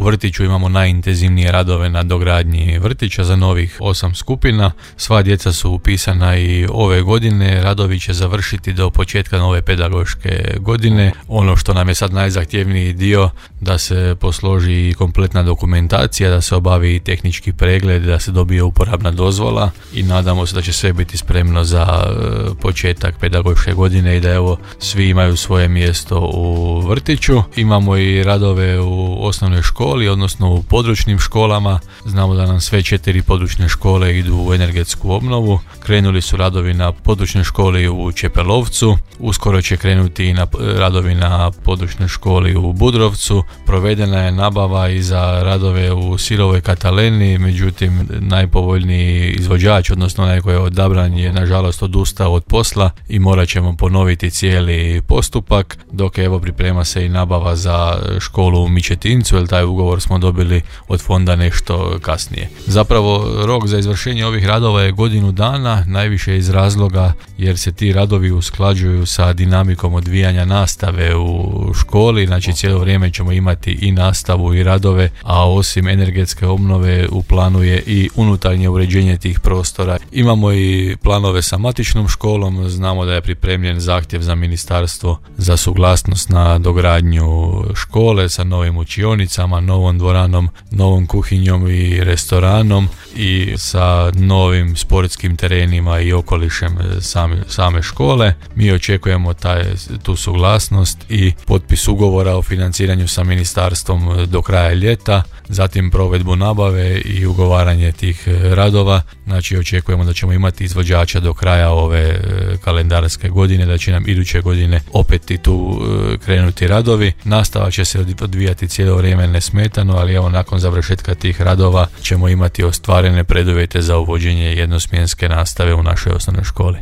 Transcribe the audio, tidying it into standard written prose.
U vrtiću imamo najintenzivnije radove na dogradnji vrtića za novih 8 skupina. Sva djeca su upisana i ove godine. Radovi će završiti do početka nove pedagoške godine. Ono što nam je sad najzahtjevniji dio, da se posloži kompletna dokumentacija, da se obavi tehnički pregled, da se dobije uporabna dozvola i nadamo se da će sve biti spremno za početak pedagoške godine i da evo svi imaju svoje mjesto u vrtiću. Imamo i radove u osnovnoj školi, odnosno u područnim školama. Znamo da nam sve 4 područne škole idu u energetsku obnovu. Krenuli su radovi na područnoj školi u Čepelovcu, uskoro će krenuti i radovi na područnoj školi u Budrovcu. Provedena je nabava i za radove u Sirovoj Kataleni, međutim najpovoljniji izvođač, odnosno onaj koji je odabran, je nažalost odustao od posla i morat ćemo ponoviti cijeli postupak, dok evo priprema se i nabava za školu u Mičetincu, jer taj ugovor smo dobili od fonda nešto kasnije. Zapravo rok za izvršenje ovih radova je godinu dana, najviše iz razloga jer se ti radovi usklađuju sa dinamikom odvijanja nastave u školi, znači cijelo vrijeme ćemo imati i nastavu i radove, a osim energetske obnove u planu je i unutarnje uređenje tih prostora. Imamo i planove sa matičnom školom, znamo da je pripremljen zahtjev za ministarstvo za suglasnost na dogradnju škole sa novim učionicama, novom dvoranom, novom kuhinjom i restoranom i sa novim sportskim terenima i okolišem same škole. Mi očekujemo tu suglasnost i potpis ugovora o financiranju sa ministarstvom do kraja ljeta, zatim provedbu nabave i ugovaranje tih radova. Znači očekujemo da ćemo imati izvođača do kraja ove kalendarske godine, da će nam iduće godine opet i tu krenuti radovi. Nastava će se odvijati cijelo vrijeme nesmetano, ali evo nakon završetka tih radova ćemo imati ostvarene preduvjete za uvođenje jednosmjenske nastave u našoj osnovnoj školi.